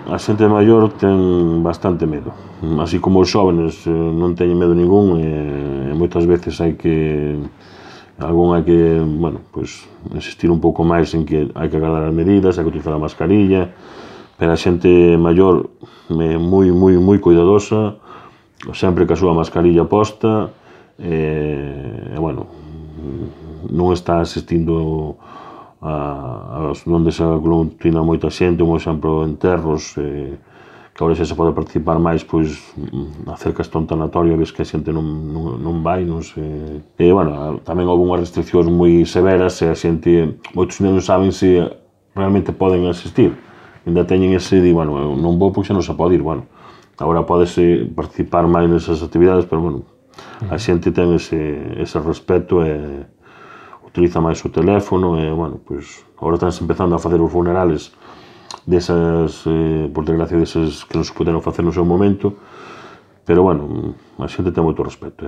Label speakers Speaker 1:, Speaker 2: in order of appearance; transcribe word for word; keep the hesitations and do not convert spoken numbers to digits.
Speaker 1: a xente maior ten bastante medo, así como os xóvenes non teñen medo ningún, e moitas veces hai que algún hai que, bueno, pois insistir un pouco máis en que hai que agardar as medidas, hai que utilizar a mascarilla, pero a xente maior é moi, moi, moi cuidadosa, sempre ca súa mascarilla posta, e, bueno, non está asistindo a onde se aglutina moita xente, un exemplo, enterros, que agora xa se pode participar máis, pois, acércase a un tanatorio e ves que a xente non vai, non sei, e, bueno, tamén houve unhas restriccións moi severas e a xente, moitos non saben se realmente poden asistir, ainda teñen ese, di, bueno, non vou porque xa non se pode ir, bueno, agora podese participar máis nesas actividades, pero, bueno, a xente ten ese respeto e utiliza máis o teléfono e, bueno, pois, agora estánse empezando a facer os funerales desas, por desgracia, desas que non se puderon facer no seu momento, pero, bueno, a xente ten moito respeto.